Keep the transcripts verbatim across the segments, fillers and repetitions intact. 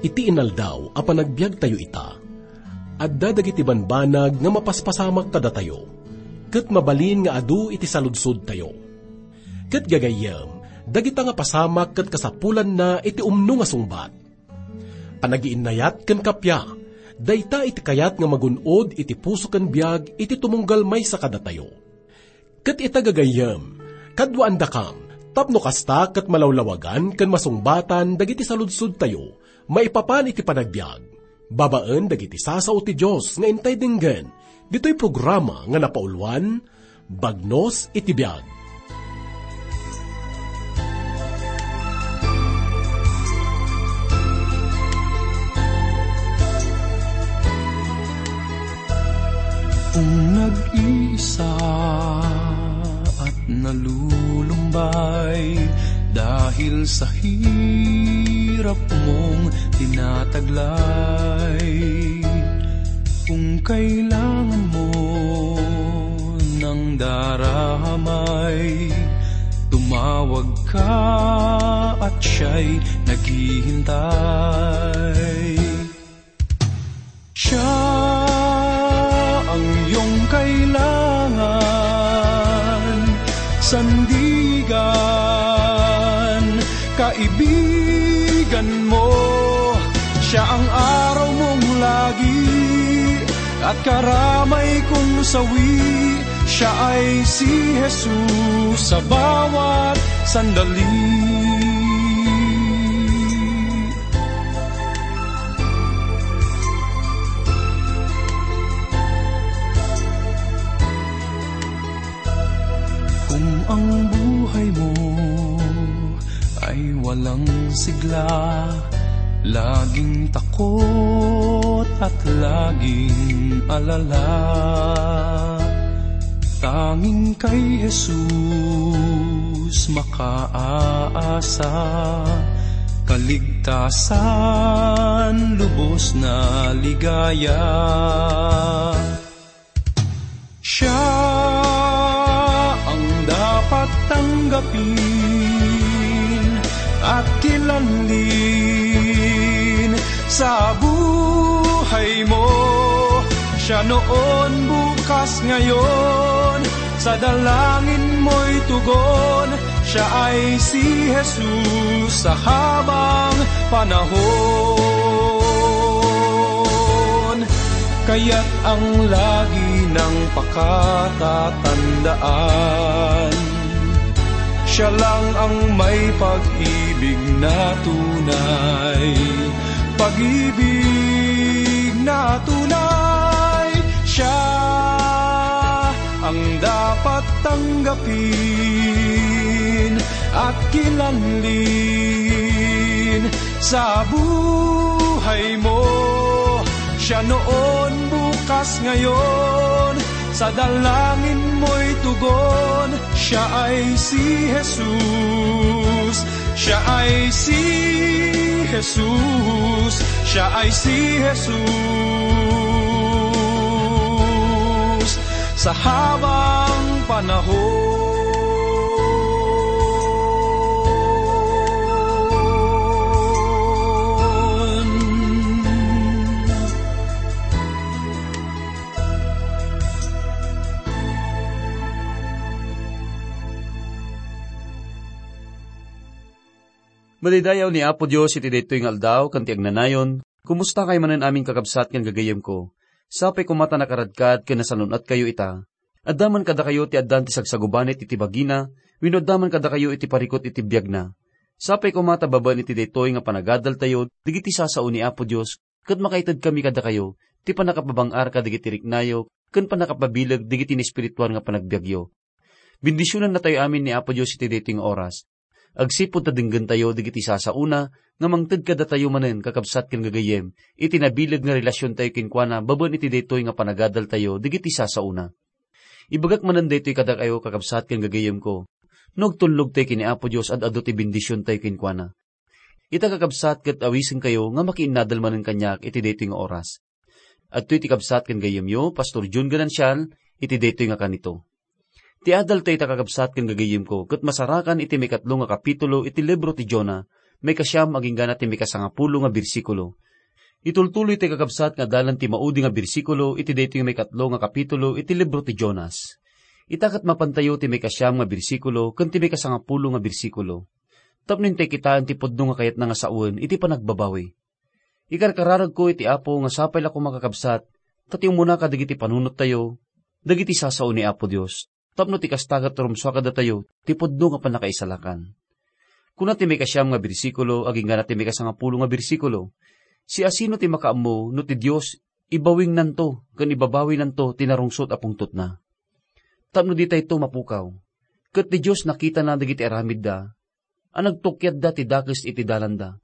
Iti inaldaw a panagbiagtayo ita, adda dagiti banbanag nga mapaspasamak kadatayo, ket mabalin nga adu iti saludsodtayo. Ket gagayyem, dagita nga pasamak ket kasapulanna iti umno nga sungbat. Panagiinnayat ken kappia, dayta iti kayat nga magun-od iti puso ken biag iti tumunggal maysa kadatayo. Ket ita gagayyem, kaduaandakam, tapno kasta ket malawlawagan ken masungbatan dagiti saludsodtayo maipapan iti panagbiag, babaen dagiti sasao ti Dios nga intay denggen, ditoy programa nga napauluan, Bagnos iti Biag. Kung nag-iisa at nalulumbay dahil sa hirap mong tinataglay, kung kailangan mo ng daramay, tumawag ka at siya'y naghihintay. Siya ang iyong kailangan, sandigan, kaibigan mo. Siya ang araw mong lagi at karamay kong sawi. Siya ay si Jesus sa bawat sandali. Kung ang buhay mo ay walang sigla, laging takot at laging alala, tanging kay Jesus makaasa, kaligtasan, lubos na ligaya. Siya ang dapat tanggapin at kilanlin sa buhay mo. Siya noon, bukas, ngayon, sa dalangin mo'y tugon. Siya ay si Jesus sa habang panahon. Kaya't ang lagi nang pakatatandaan, siya lang ang may pag-ibig na tunay. Pag-ibig na tunay, siya ang dapat tanggapin at kilanlin sa buhay mo. Siya noon, bukas, ngayon, sa dalangin mo'y tugon. Siya ay si Jesus. Siya ay si Jesus. Siya ay si Jesus. Sa habang panahon. Madaydayaw ni Apo Dios iti daytoy nga aldaw ken ti agnanayon. Kumusta kayo manen amin, kakabsat ken gagayyemko? Sapay koma ta nakaradkad ken nasalun-atkayo ita. Adda man kadakayo ti addan ti sagsagubanit iti bagina, wenno adda man kadakayo iti parikut iti biagna. Sapay koma ta babaen iti daytoy nga panagadaltayo dagiti sasao ni Apo Dios, ket makaitedkami kadakayo ti pannakapabang-ar kadagiti riknayo ken pannakapabileg dagiti naespirituan nga panagbiagyo. Bendisionannatayo amin ni Apo Dios iti daytoy nga oras. Agsipud ta denggentayo dagiti sasaona nga mangted kadatayo manen, kakabsat ken gagayyem, iti nabileg nga relasiontayo kenkuana babaen iti daytoy nga panagadaltayo dagiti sasaona. Ibagak manen daytoy kadakayo, kakabsat ken gagayyemko, no agtulnogtayo ken ni Apo Dios, ad-adu ti bendisiontayo kenkuana. Ita, kakabsat, ket awisenkayo nga makiinnadal manen kaniak iti daytoy nga oras. Adtoy ti kabsat ken gayyemyo, Pastor Jun Ganancial, iti daytoy nga kanito. Ti adaltayo ita, kakabsat ken gagayyemko, ket masarakan iti maikatlo nga kapitulo iti libro ti Jonah, maikasiam agingga na ti maikasangapulo nga bersikulo. Itultuloy ti kakabsat nga adalan ti maudi nga bersikulo iti daytoy nga maikatlo nga kapitulo iti libro ti Jonas. Ita ket mapantayo ti maikasiam nga bersikulo ken ti maikasangapulo nga bersikulo. Tapno intay kitaen ti pudno nga kayatna nga sawen iti panagbabawi. Ikarkararagko iti Apo nga sapay la koma, kakabsat, ta ti umuna kadagiti panunottayo, dagiti sasao ni Apo Dios, tapno ti kasta ket rumsua kadatayo ti pudno nga pannakaisalakan. Kuna ti maikasiam nga bersikulo agingga na ti maikasangapulo nga bersikulo, siasino ti makaammo no ti Dios ibawinnanto ken ibabawinanto ti narungsot a pungtotna? Tapno ditayto mapukaw, ket ti Dios nakitana dagiti aramidda, a nagtukkiatda ti dakes iti dalanda.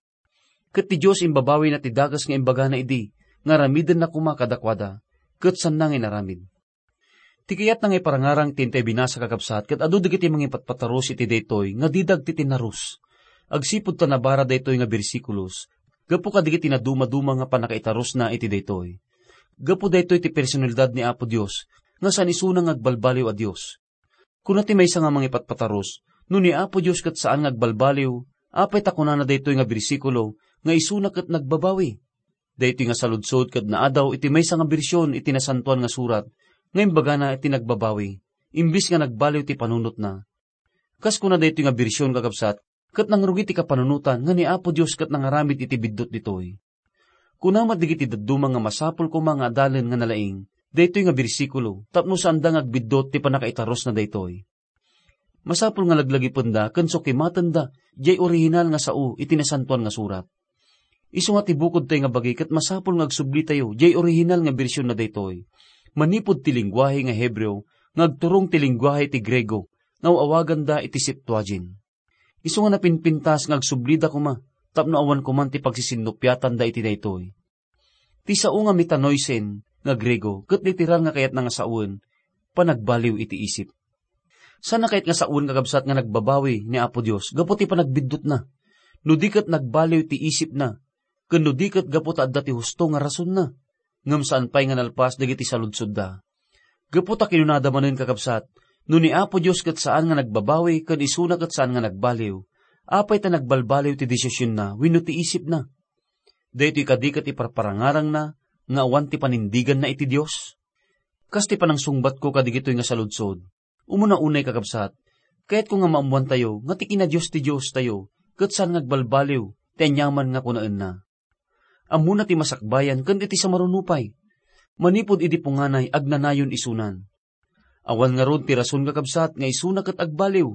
Ket ti Dios imbabawina ti dakes nga imbagana idi nga aramidenna koma kadakuada, ket saanna nga inaramid. Ti kayatna nga iparangarang ti intay binasa, kakabsat, ket adu dagiti mangipatpatarus iti daytoy nga dida agtitinarus. Agsipud ta nabara daytoy nga bersikulos gapu kadagiti nadumaduma nga pannakaitarusna iti daytoy. Gapu daytoy ti personalidad ni Apo Dios nga saan isuna nga agbalbaliw a Dios. Kuna ti maysa nga mangipatpatarus, "No ni Apo Dios ket saan nga agbalbaliw, apay ta kunana daytoy nga bersikulo nga isuna ket nagbabawi?" Daytoy nga saludsod ket naadaw iti maysa nga bersion iti Nasantoan nga Surat nga imbagana iti nagbabawi, imbes nga nagbaliw ti panunotna. Kas kuna daytoy nga bersion, kakabsat, ket nangrugi ti kapanunotan nga ni Apo Dios ket nangaramid iti biddut ditoy. Kuna met dagiti dadduma nga masapul koma nga adalen nga nalaing daytoy nga bersikulo tapno saanda nga agbiddut ti pannakaitarusna daytoy. Masapul nga laglagipenda ken sukimatenda diay orihinal nga sao iti Nasantoan nga Surat. Isu nga ti bukodtayo nga bagi ket masapul nga agsublitayo diay orihinal nga bersion na daytoy, manipud ti lengguahe nga Hebreo nga agturong ti lengguahe ti Griego nga aw-awaganda iti Septuagint. Isu nga napinpintas nga agsublida koma tapno awan koman ti pagsisinnupiatanda iti daytoy. Ti sao nga metanoisen nga Griego ket literal nga kayatna nga sawen, panagbaliw iti isip. Saan a kayat nga sawen, kakabsat, nga nagbabawi ni Apo Dios gapu ti panagbiddutna, no di ket nagbaliw ti isipna, ken no di ket gapu ta adda ti husto nga rasonna. Ngem saan pay nga nalpas dagiti saludsodda. Gapu ta kinunada manen, kakabsat, "No ni Apo Dios ket saan nga nagbabawi ken isuna ket saan nga nagbaliw, apay ta nagbalbaliw ti desisionna wenno ti isipna?" Daytoy kadi ket iparparangarangna nga awan ti panindiganna iti Dios? Kas ti panangsungbatko kadigitoy nga saludsod, umuna unay, kakabsat, kayatko nga maammoantayo nga ti kinadios ti Diostayo ket saan nga agbalbaliw ti aniaman nga kunaenna. Ammona ti masakbayan ken iti sumaruno pay. Manipud idi punganay, agnanayon isunan. Awan ngarud ti rason, kakabsat, nga isuna ket agbaliw,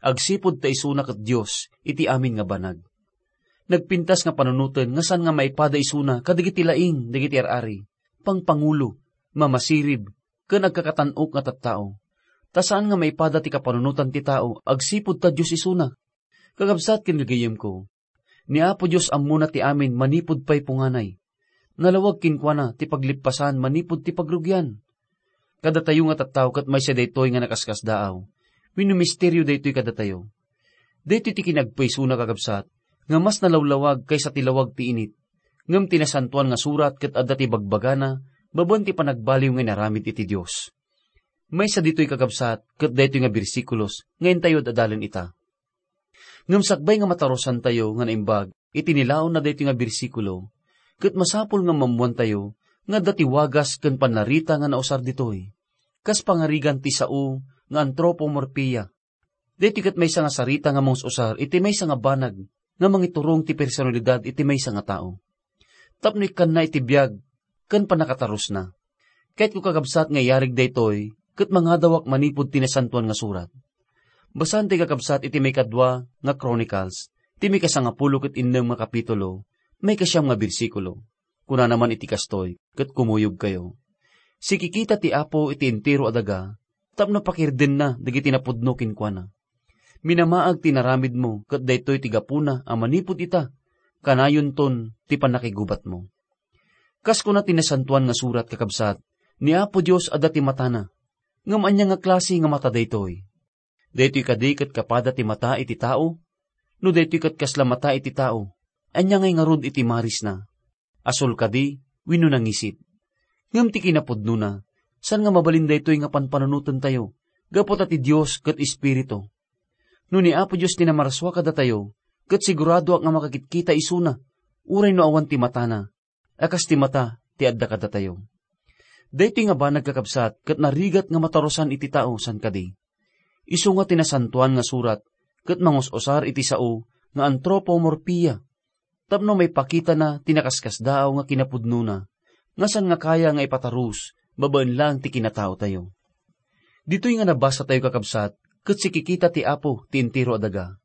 agsipud ta isuna ket Dios iti amin nga banag. Nagpintas nga panunoten nga saan nga maipada isuna kadagiti laing dagiti ar-ari, pangpangulo, mamasirib, ken agkakatan-ok nga tattao. Ta saan nga maipada ti kapanunotan ti tao agsipud ta Dios isuna. Kakabsat ken gagayyemko, ni Apo Dios ammona ti amin manipud pay punganay. Nalawag kenkuana ti paglippasan manipud ti pagrugian. Kadatayo nga tattao ket maysa daytoy nga nakaskasdaaw. Wenno misterio daytoy kadatayo. Daytoy ti kinagpaysona, kakabsat, nga mas nalawlawag kaysa ti lawag ti init. Ngem ti Nasantoan nga Surat ket adda ti bagbagana babaen ti panagbaliw nga inaramid iti Dios. Maysa ditoy, kakabsat, ket daytoy nga bersikulos nga intayo ad-adalen ita. Ngem sakbay nga matarusantayo nga naimbag iti nilaon na daytoy nga bersikulo, ket masapul nga maammoantayo nga adda ti wagas ken pannarita nga nausar ditoy, kas pangarigan ti sao nga anthropomorphia. Daytoy ket maysa nga sarita nga mangus-usar iti maysa nga banag nga mangiturong ti personalidad iti maysa nga tao. Tapno ikkanna iti biag ken pannakatarusna. Kayatko, kakabsat, nga iyarig daytoy ket mangadawak manipud ti Nasantoan nga Surat. Basaen ti, kakabsat, iti maikadua nga Chronicles, ti maikasangapulo ket innem nga kapitulo, maikasiam nga bersikulo. Kunana man iti kastoy, ket kumuyogkayo, "Sikikita ti Apo iti entero a daga, tapno pakirdenna dagiti napudno kenkuana. Minamaag ti inaramidmo, ket daytoy ti gapuna a manipud ita, kanayonton ti pannakigubatmo." Kas kuna ti Nasantoan nga Surat, kakabsat, ni Apo Dios adda ti matana. Ngem ania nga klase nga mata daytoy? Daytoy kadi ket kapada ti mata iti tao? No daytoy ket kasla mata iti tao, ania ngay ngarud iti marisna? Asol kadi wenno nangisit? Ngem ti kinapudnona, saan nga mabalin daytoy nga panpanunotentayo, gapu ta ti Dios ket Espiritu. No ni Apo Dios ti namarsua kadatayo, ket siguradoak nga makakitkita isuna, uray no awan ti matana, a kas ti mata ti adda kadatayo. Daytoy nga banag, kakabsat, ket narigat nga matarusan iti tao san kadi. Isu nga ti Nasantoan nga Surat ket mangus-usar iti sao nga anthropomorphia, tapno maipakitana ti nakaskasdaaw nga kinapudnona, nga saan nga kaya nga ipatarus babaen laeng ti kinataotayo. Ditoy nga nabasatayo, kakabsat, ket sikikita ti Apo ti entero a daga.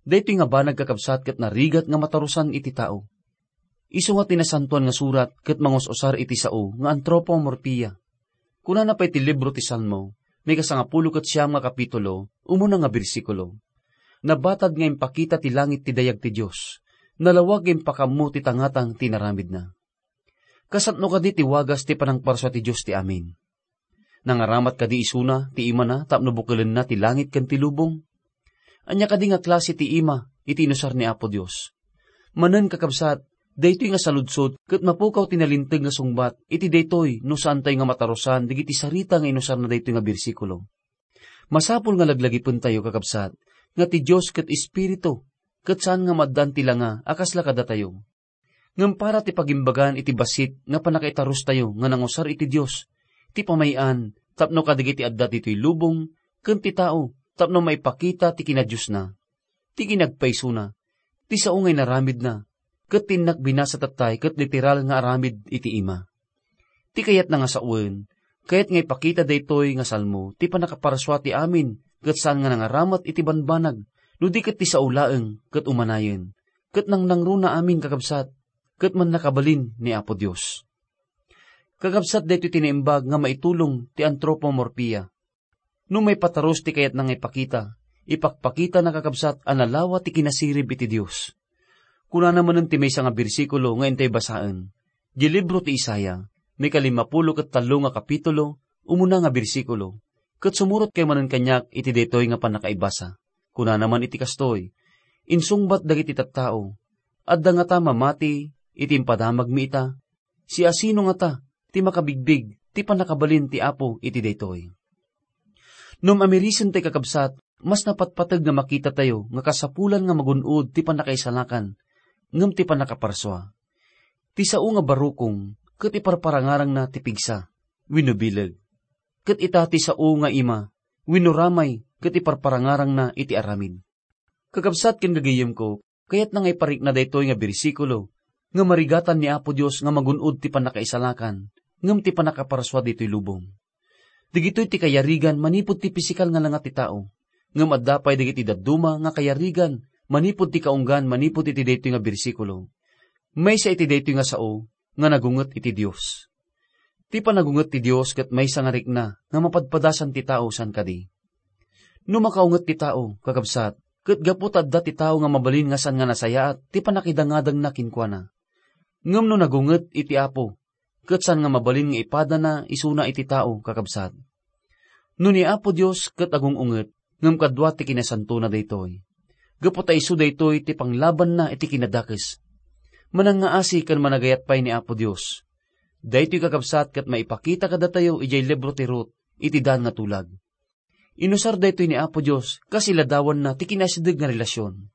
Daytoy nga banag, kakabsat, ket narigat nga matarusan iti tao. Isu nga ti Nasantoan nga Surat ket mangus-usar iti sao nga anthropomorphia. Kunana pay ti libro ti Salmo, maikasangapulo ket siam nga kapitulo, umuna nga bersikulo, "Nabatad nga impakita ti langit ti dayag ti Dios, nalawag nga impakaammo ti tangatang ti inaramidna." Kasano kadi ti wagas ti panangparsua ti Dios ti amin? Nangaramat kadi isuna ti imana tapno bukelenna ti langit ken ti lubong? Ania kadi nga klase ti ima iti inusar ni Apo Dios? Manen, kakabsat, daytoy nga saludsod ket mapukaw ti nalinteg nga sungbat iti daytoy no saantayo nga matarusan dagiti sarita nga inusarna daytoy nga bersikulo. Masapul nga laglagipentayo, kakabsat, nga ti Dios ket Espiritu, ket saan nga maaddaan ti langa a kasla kadatayo. Ngem para ti pagimbagan iti bassit nga pannakaitarustayo nga nangusar iti Dios, ti pamay-an tapno kadagiti adda ditoy lubong ken ti tao tapno maipakita ti kinadiosna, ti kinagpaysona, ti sao nga inaramidna, ket ti innak binasa tattay ket literal nga aramid iti ima. Ti kayatna nga sawen, kayat nga ipakita daytoy nga Salmo ti pannakaparsua ti amin ket saan nga nangaramat iti banbanag, no di ket ti sao laeng ket umanayen, ket nangnangruna amin, kakabsat, ket mannakabalin ni Apo Dios. Kakabsat, daytoy ti naimbag nga maitulong ti anthropomorphia. No maipatarus ti kayatna nga ipakita, ipakpakitana, kakabsat, a nalawa ti kinasirib iti Dios. Kunana manen ti maysa nga bersikulo nga intay basaen, di libro ti Isaiah, maikalimmapulo ket tallo nga kapitulo, umuna nga bersikulo, ket sumurotkay manen kaniak iti daytoy nga pannakaibasa. Kunana man iti kastoy, "Insungbat dagiti tattao, adda ngata mamati iti impadamagmi ita? Siasino ngata ti makabigbig ti pannakabalin ti Apo iti daytoy?" No mamirisen tay, kakabsat, mas napatpateg nga makitatayo nga kasapulan nga magun-od ti pannakaisalakan ngem ti pannakaparsua. Ti sao nga barukong ket iparparangarangna ti pigsa wenno bileg, ket ita ti sao nga ima wenno ramay ket iparparangarangna iti aramid. Kakabsat ken gagayyemko, kayatna nga iparikna daytoy nga bersikulo nga marigatan ni Apo Dios nga magun-od ti pannakaisalakan ngem ti pannakaparsua ditoy lubong. Dagitoy ti kayarigan manipud ti pisikal nga langa ti tao, ngem adda pay dagiti dadduma nga kayarigan manipud ti kaunggan manipud iti daytoy nga bersikulo. Maysa iti daytoy nga sao nga nagunget iti Dios. Ti panagunget ti Dios ket maysa nga rikna nga mapadpadasan ti tao san kadi. No makaunget ti tao, kakabsat, ket gapu ta adda ti tao nga mabalin nga saan nga nasayaat ti pannakidangadangna kenkuana. Ngem no nagunget iti Apo, ket saan nga mabalin nga ipadana isuna iti tao, kakabsat. No ni Apo Dios ket agung-unget, ngem kadua ti kinasantona daytoy. Gapu ta isu daytoy ti panglabanna iti kinadakes. Manangngaasi ken managayat pay ni Apo Dios. Daytoy, kakabsat, ket maipakita kadatayo idiay libro ti Ruth iti daan nga tulag. Inusar daytoy ni Apo Dios kas iladawanna ti kinaasideg nga relasyon.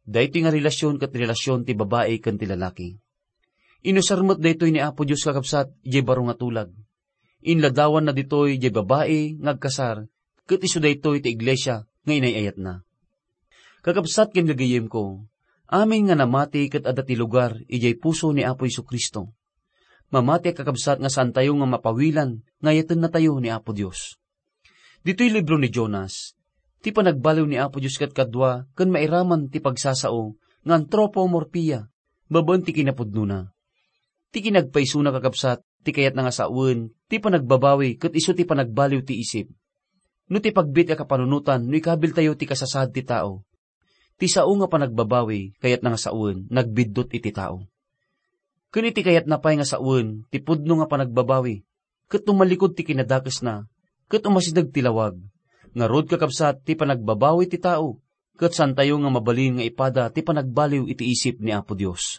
Daytoy nga relasyon ket relasyon ti babai ken ti lalaki. Inusar met daytoy ni Apo Dios, kakabsat, idiay baro nga tulag. Inladawanna ditoy idiay babai nga agkasar, ket isu daytoy ti iglesia nga inay-ayatna. Kakabsat ken gagayyemko, amin nga namati ket adda ti lugar idiay puso ni Apo Jesu-Cristo. Mamati a kakabsat nga saantayo nga mapawilan nga ayatennatayo ni Apo Dios. Ditoy libro ni Jonas, ti panagbaliw ni Apo Dios ket kadua ken mairaman ti pagsasao nga anthropomorphia babaen ti kinapudnona. Ti kinagpaysona, kakabsat, ti kayatna nga sawen ti panagbabawi ket isu ti panagbaliw ti isip. No ti pagbiit a kapanunotan no ikabiltayo ti kasasaad ti tao, ti sao nga panagbabawi kayatna nga sawen nagbiddut iti tao. Ken iti kayatna pay nga sawen ti pudno nga panagbabawi, ket tumalikod ti kinadakesna, ket umasideg ti lawag. Ngarud, kakabsat, ti panagbabawi ti tao, ket saantayo nga mabalin nga ipada ti panagbaliw iti isip ni Apo Dios.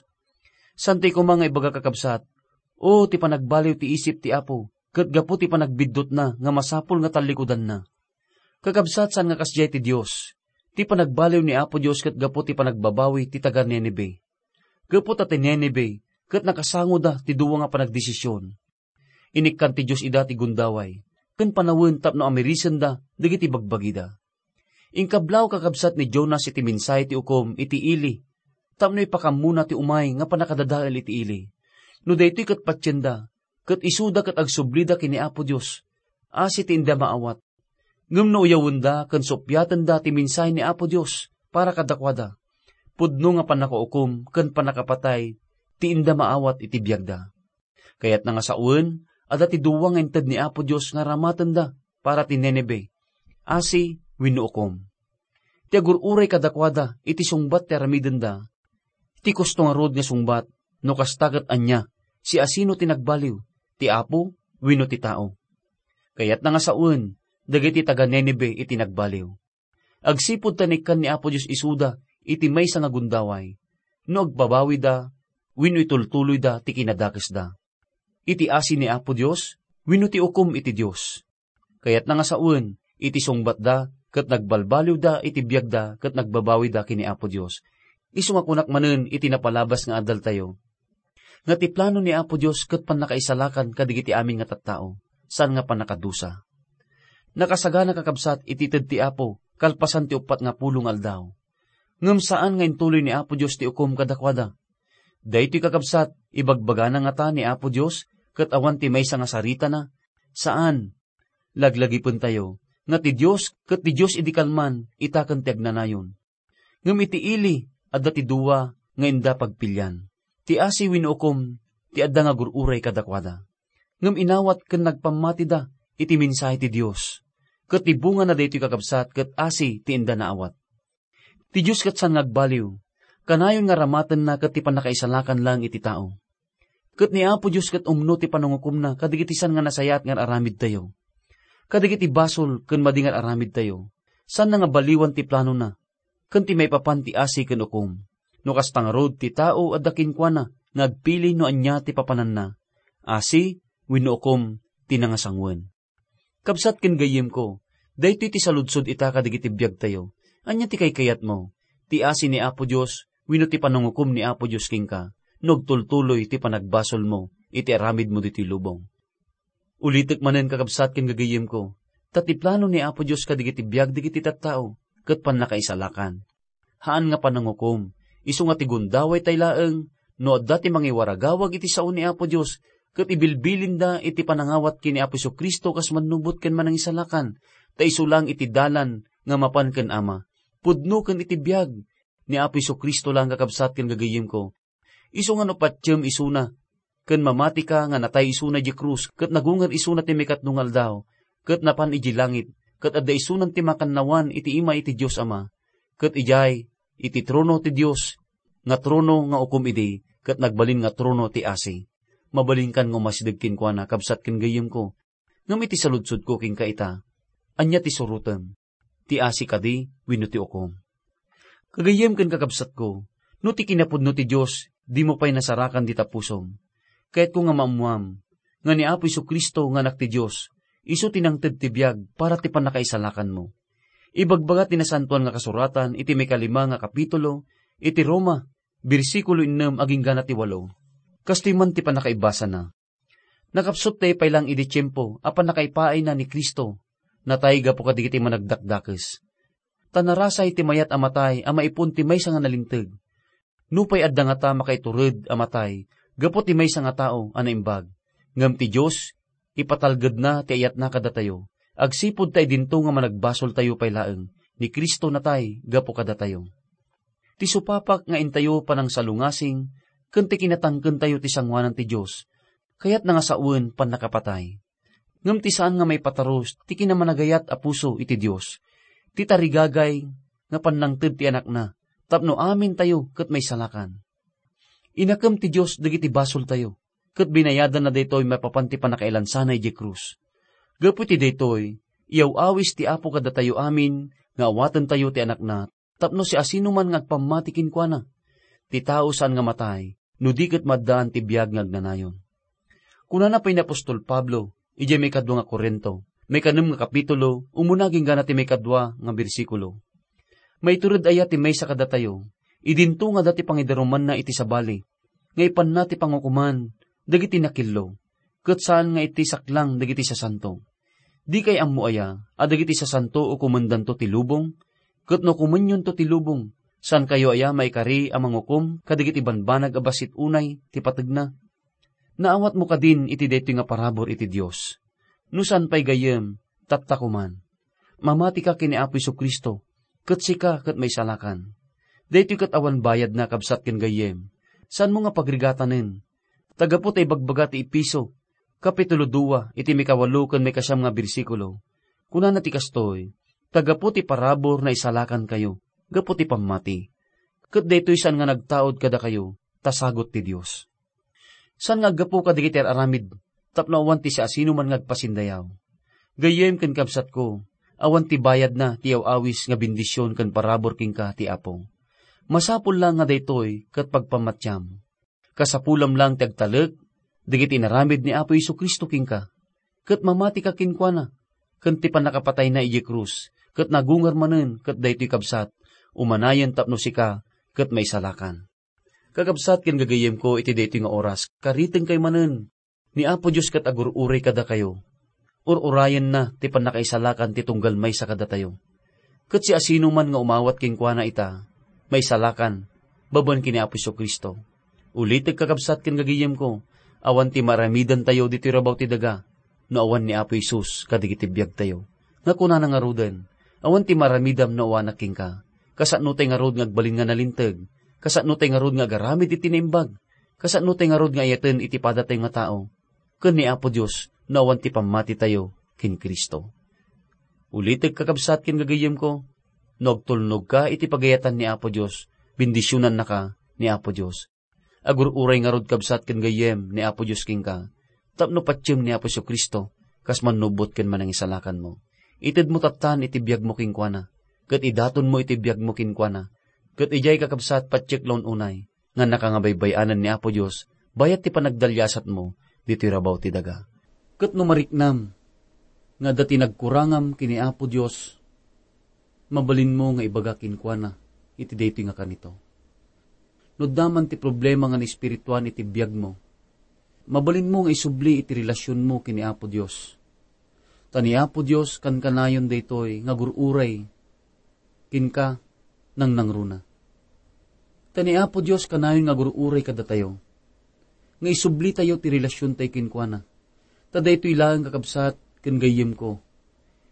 Saantayo koma nga ibaga, kakabsat, "O, ti panagbaliw ti isip ti Apo, ket gapu ti panagbiddutna nga masapul nga tallikudanna." Kakabsat, saan nga kasdiay ti Dios. Ti panagbaliw ni Apo Dios ket gapu ti panagbabawi ti taga-Ninive. Gapu ta ti Ninive ket nakasangoda ti dua nga panagdesision. Inikkan ti Dios ida ti gundaway ken panawen tapno amirisenda dagiti bagbagida. Inkablaw kakabsat ni Jonas iti mensahe ti ukom iti ili tapno ipakammona ti umay nga pannakadadael iti ili. No daytoy ket patienda, ket isuda ket agsublida ken ni Apo Dios, asi ti inda maawat. Ngem no uyawenda ken suppiatenda ti mensahe ni Apo Dios para kadakuada, pudno nga pannakaukom ken pannakapatay ti inda maawat iti biagda. Kayatna nga sawen, adda ti dua nga inted ni Apo Dios nga aramatenda para ti Ninive, asi wenno ukom. Ti agur-uray kadakuada iti sungbat ti aramidenda. Ti kusto ngarud nga sungbat, no kasta ket ania, siasino ti nagbaliw, ti Apo wenno ti tao? Kayatna nga sawen dagiti taga-Ninive iti nagbaliw. Agsipud ta naikkan ni Apo Dios isuda iti maysa nga gundaway, no agbabawida wenno itultuloyda ti kinadakesda. Iti asi ni Apo Dios wenno ti ukom iti Dios. Kayatna nga sawen, iti sungbatda ket nagbalbaliwda iti biagda ket nagbabawida ken ni Apo Dios. Isu nga kunak manen iti napalabas nga adaltayo, nga ti plano ni Apo Dios ket pannakaisalakan kadagiti amin nga tattao, saan nga pannakadusa. Nakasagana, kakabsat, iti ited ti Apo kalpasan ti uppat nga pulo nga aldaw. Ngem saan nga intuloy ni Apo Dios ti ukom kadakuada. Daytoy, kakabsat, ibagbagana ngata ni Apo Dios ket awan ti maysa nga saritana? Saan. Laglagipentayo nga ti Dios ket ti Dios idi kalman ita ken ti agnanayon. Ngem iti ili, adda ti dua nga inda pagpilian. Ti asi wenno ukom ti adda nga agur-uray kadakuada. Ngem inawat ken nagpammatida iti mensahe ti Dios. Ket ti bungana daytoy, kakabsat, ket asi ti inda naawat. Ti Dios ket saan nga agbaliw. Kanayon nga aramatenna ket ti pannakaisalakan laeng iti tao. Ket ni Apo Dios ket umno ti panangukomna kadagiti saan nga nasayaat nga ar-aramidtayo. Kadagiti basol ken madi nga ar-aramidtayo, saanna nga baliwan ti planona, ken ti maipapan ti asi ken ukom. No kasta ngarud, ti tao adda kenkuana nga agpili no ania ti papananna, asi wenno ukom ti nangasangoen. Kabsat ken gayyemko, daytoy ti saludsod ita kadagiti biagtayo. Ania ti kaykayatmo? Ti asi ni Apo Dios wenno ti panangukom ni Apo Dios kenka no agtultuloy ti panagbasolmo iti aramidmo ditoy lubong? Ulitek manen, kakabsat ken gagayyemko, ta ti plano ni Apo Dios kadagiti biag dagiti tattao ket pannakaisalakan. Haan nga panangukom, isu nga ti gundaway tay laeng, no adda ti mangiwaragawag iti sao ni Apo Dios, ket ibilbilinda iti panangawat ken ni Apo Jesu-Cristo kas mannubot ken manangisalakan, ta isu laeng iti dalan nga mapan ken Ama. Pudno ken iti biag ni Apo Jesu-Cristo laeng, kakabsat ken gagayyemko. Isu nga no patiem isuna, ken mamatika nga natay isuna idiay krus, ket nagunger isuna ti maikatlo nga aldaw, ket napan idiay langit, ket adda isunan ti makannawan iti ima iti Dios Ama, ket idiay, iti trono ti Dios, nga trono nga ukom idi, ket nagbalin nga trono ti asi. Mabalinkan nga umasideg kenkuana, kabsat ken gayyemko, ngem iti saludsodko kenka ita, ania ti surotem? Ti asi kadi wenno ti ukom? Gagayyem ken kakabsatko, no ti kinapudno ti Dios, dimo pay nasarakan dita pusom. Kayatko nga maammoam nga ni Apo Jesu-Cristo nga Anak ti Dios, isu ti nangted ti biag para ti pannakaisalakanmo. Ibagbaga ti Nasantoan nga Kasuratan iti maikalima nga kapitulo iti Roma, bersikulo ennem aginggana ti walo. Kastoy man ti pannakaibasana. Nakapsut ta ipailang idi tiempo a pannakaipaayna ni Cristo, natay gapu kadagiti managdakdakes. Ta narasay ti mayat a matay a maipon ti maysa nga nalinteg. Nupay adda ngata makaitured a matay gapu ti maysa nga tao a naimbag, ngem ti Dios, ipatalgedna ti ayatna kadatayo, agsipud ta idinto nga managbasoltayo pay laeng ni Cristo natay gapu kadatayo. Ti supapak nga intayo panangsalungasing ken ti kinatangkentayo ti sangoanan ti Dios, kayatna nga sawen pannakapatay. Ngem ti saan nga maipatarus ti kinamanagayat a puso iti Dios, ti tarigagay nga pannangted ti Anakna tapno amintayo ket maisalakan. Inakem ti Dios dagiti basoltayo, ket binayadanna daytoy maipapan ti pannakailansana idiay krus. Gapu iti daytoy, iyaw-awis ti Apo kadatayo amin nga awatentayo ti Anakna tapno siasinoman nga agpammati kenkuana. Ti tao saan nga matay no di ket maaddaan ti biag nga agnanayon. Kunana pay ni apostol Pablo idiay maikadua nga Corinto, maikanem nga kapitulo, umuna aginggana ti maikadua nga bersikulo, Maitured aya ti maysa kadatayo, idinto nga adda ti pangidarumanna iti sabali, nga ipanna ti pangukoman dagiti nakillo, ket saan nga iti saklang dagiti sasanto. Dikay ammo aya a dagiti sasanto ukomendanto ti lubong? Ket no ukomenyonto ti lubong, saankayo aya maikari a mangukom kadagiti banbanag a bassit unay ti pategna? Naawatmo kadin iti daytoy nga parabur iti Dios? No saan pay gayyem, tatta koman. Mamatika ken ni Apo Jesu-Cristo, ket sika ket maisalakan. Daytoy ket awan bayadna, kabsat ken gayyem. Saanmo nga pagrigatanen. Ta gapu ta ibagbaga ti Efeso, Kapitulo dua, iti mikawalo ken mikasiam nga bersikulo, kunana ti kastoy, "Ta gapu ti parabur naisalakankayo gapu ti pammati. Ket daytoy saan nga nagtaud kadakayo, ta sagut ti Dios." Saan nga aggapu kadagiti ar-aramid tapno awan ti siasinoman nga agpasindayaw. Gayyem ken kabsatko, awan ti bayadna ti aw-awis nga bendision ken parabur kenka ti Apo. Masapul la nga daytoy ket pagpammatiam. Kasapulam lang ti agtalek dagiti inaramid ni Apo Jesu-Cristo kenka, ket mamatika kenkuana, ken ti pannakapatayna idiay krus, ket nagungar manen ket daytoy kabsat, umanayen tapno sika ket maisalakan. Kakabsat ken gagayyemko iti daytoy nga oras, karitengkayo manen. Ni Apo Dios ket agur-uray kadakayo. Ur-urayenna ti pannakaisalakan ti tunggal maysa kadatayo. Ket siasinoman nga umawat kenkuana ita, maisalakan, babaen ken ni Apo Jesu-Cristo. Ulitek, kakabsat ken gagayyemko, awan ti maaramidantayo ditoy rabaw ti daga, no awan ni Apo Jesus kadagiti biagtayo. Nga kunana ngaruden, "Awan ti maaramidam no awanak kenka." Kasano tay ngarud nga agbalin nga nalinteg? Kasano tay ngarud nga agaramid iti naimbag? Kasano tay ngarud nga ayaten iti padatayo nga tao? Ken ni Apo Dios no awan ti pammatitayo ken Cristo. Ulitek, kakabsat ken gagayyemko, no agtulnogka iti pagayatan ni Apo Dios, bendisionannaka ni Apo Dios. Agur-uray ngarud, kabsat ken gayyem, ni Apo Dios kenka, tapno patiem ni Apo Jesu-Cristo, kas mannubot ken manangisalakanmo. Itedmo tattan iti biagmo kenkuana, ket idatonmo iti biagmo kenkuana, ket idiay, kakabsat, patiek la un-unay, nga nakangabaybay-anan ni Apo Dios, bayat ti panagdaliasatmo ditoy rabaw ti daga. Ket no mariknam nga adda ti nagkurangam ken ni Apo Dios, mabalinmo nga ibaga kenkuana iti daytoy nga kanito. No adda man ti problema nga naespirituan iti biagmo, mabalinmo nga isubli iti relasionmo ken ni Apo Dios. Ta ni Apo Dios kankanayon daytoy nga agur-uray kenka nangnangruna. Ta ni Apo Dios kanayon nga agur-uray kadatayo, nga isublitayo ti relasiontayo kenkuana. Ta daytoy laeng, kakabsat ken gayyemko,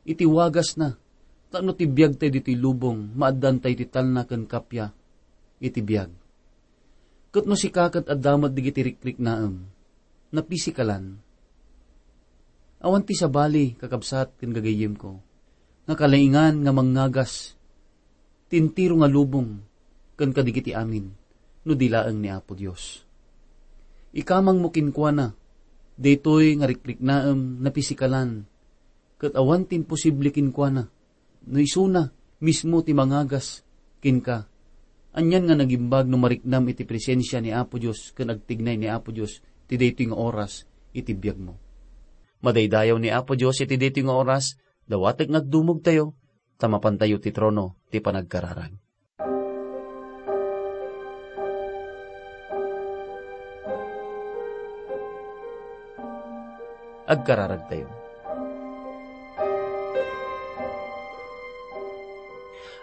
iti wagasna, tapno ti biagtayo ditoy lubong, maaddaantayo ti talna ken kappia iti biag. Ket no sika ket adda met dagiti rikriknaem, napisikalan, awan ti sabali, kakabsat ken gagayyemko, nga kalaingan nga mangngagas ti entero nga lubong ken kadagiti amin no di laeng ni Apo Dios. Ikamangmo kenkuana daytoy nga rikriknaem napisikalan, ket awan ti imposible kenkuana. No isuna mismo ti mangagas kenka, anian nga nagimbag no mariknam iti presensia ni Apo Dios ken agtignay ni Apo Dios ti daytoy nga oras iti biagmo. Madaydayaw ni Apo Dios iti daytoy nga oras, dawatek nga agdumogtayo, ta mapantayo ti trono ti panagkararag. Agkararagtayo.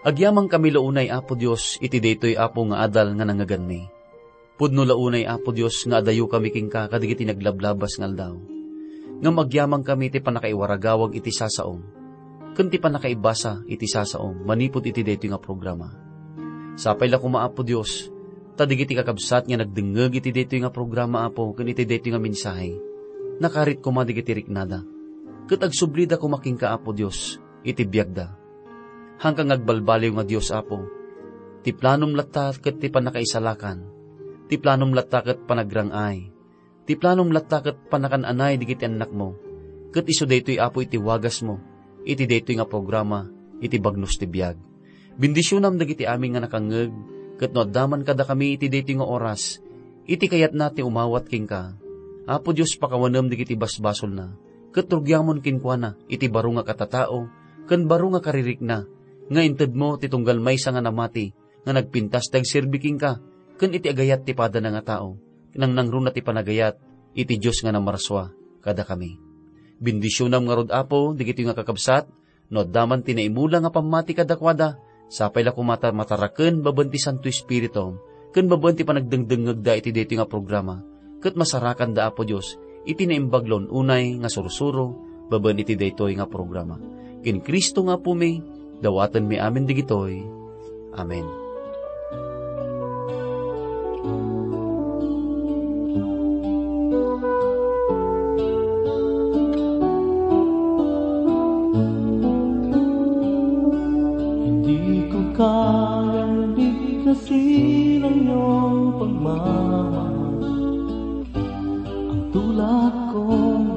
Agyamankami la unay, Apo Dios, iti daytoy, Apo, nga adal nga nangngeganmi. Pudno la unay, Apo Dios, nga adayokami kenka kadagiti naglablabas nga aldaw. Ngem agyamankami ti pannakaiwaragawag iti sasaom, ken ti pannakaibasa iti sasaom manipud iti daytoy nga programa. Sapay la koma, Apo Dios, ta dagiti kakabsat nga nagdengngeg iti daytoy nga programa, Apo, ken iti daytoy nga mensahe, nakarit koma dagiti riknada, ket agsublida koma kenka, Apo Dios, iti biagda. Haanka nga agbalbaliw nga Dios, Apo. Ti planom latta ket ti pannakaisalakan. Ti planom latta ket panagrang-ay. Ti planom latta ket pannakan-anay dagiti annakmo. Ket isu daytoy, Apo, iti wagasmo iti daytoy nga programa, iti Bagnos ti Biag. Bendisionam dagiti amin nga nakangngeg, ket no adda man kadakami iti daytoy nga oras, iti kayatna ti umawat kenka, Apo Dios, pakawanem dagiti basbasolna, ket rugiamon kenkuana iti baro nga katatao ken baro nga karirikna, nga intedmo ti tunggal maysa nga namati nga nagpintas ti agserbi kenka ken iti agayat ti padana nga tao, nangnangruna ti panagayat iti Dios nga namarsua kadakami. Bendisionam ngarud, Apo, dagitoy nga kakabsat, no adda man ti naimula nga pammati kadakuada, sapay la koma ta mataraken babaen ti Santo Espiritu, ken babaen ti panagdengdengngegda iti daytoy nga programa, ket masarakanda, Apo Dios, iti naimbag la un-unay nga sursuro babaen iti daytoy nga programa. Ken Cristo nga Apomi, dawatenmi amin dagitoy. Amen. Hindi ko kayang bigkasin ang iyong pagmamahal. Ang tulad kong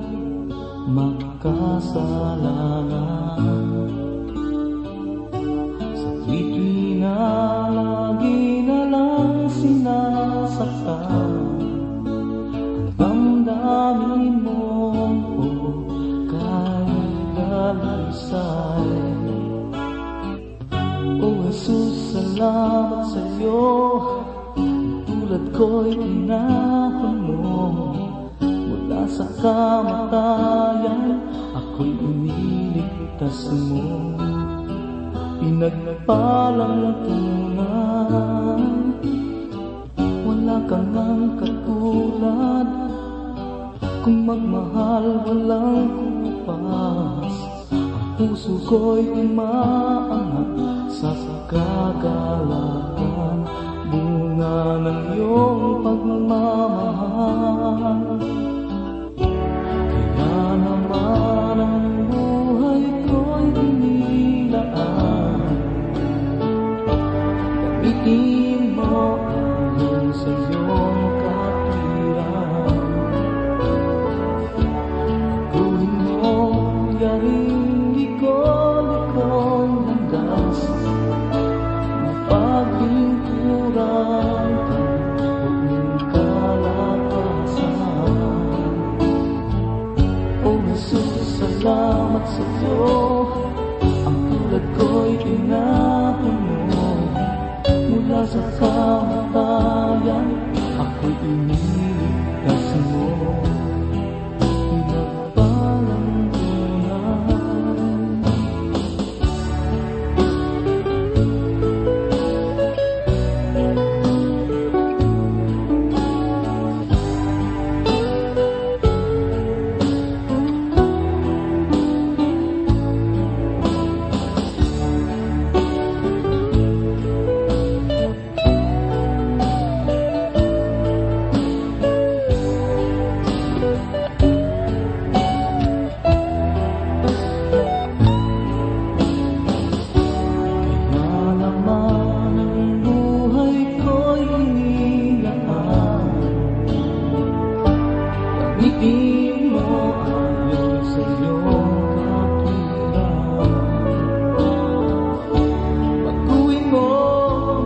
makasalanan, sa tuwid na lagi na lang sinasaktan ang damdamin mo, o kay dalisay. O Jesus, salamat sa'yo. Tulad ko'y tinapon mo. Mula sa kamatayan, ako'y iniligtas mo. Pinagpalang tunay. Wala ka ngang katulad. Kung magmahal, walang kupas. Ang puso ko'y umaangat sa kagalakan, bunga ng iyong pagmamahal. Kaya naman ang buhay ko'y inilaan. Gamitin mo ayon sa iyong katwiran. Gawin mo yaring liko-likong landas. Mapaglingkuran ka buong kalakasan. O Jesus, salamat sa iyo. Ang tulad ko'y tinapon mo. Mula sa kamatayan, ako'y iniligtas mo. Pinagpalang tunay. Kaya naman ang buhay ko'y inilaan. Gamitin mo ayon sa iyong katwiran. Baguhin mo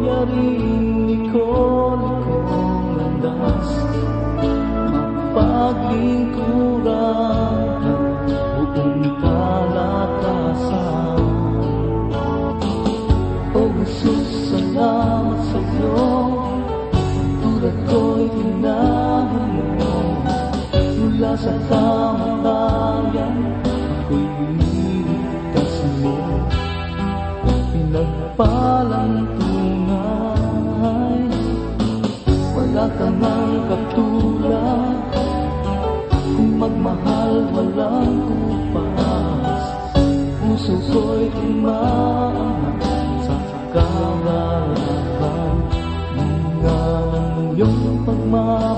yaring liko-likong landas. Mapaglingkuran ka buong kalakasan. O Jesus, salamat sa iyo. Tulad ko'y tinapon mo. Mula sa kamatayan, ako'y iniligtas mo. Pinagpalang tunay. Wala ka mang katulad. Kung magmahal, walang kupas. Puso ko'y umaangat sa kagalakan. Bunga ng iyong pagmamahal.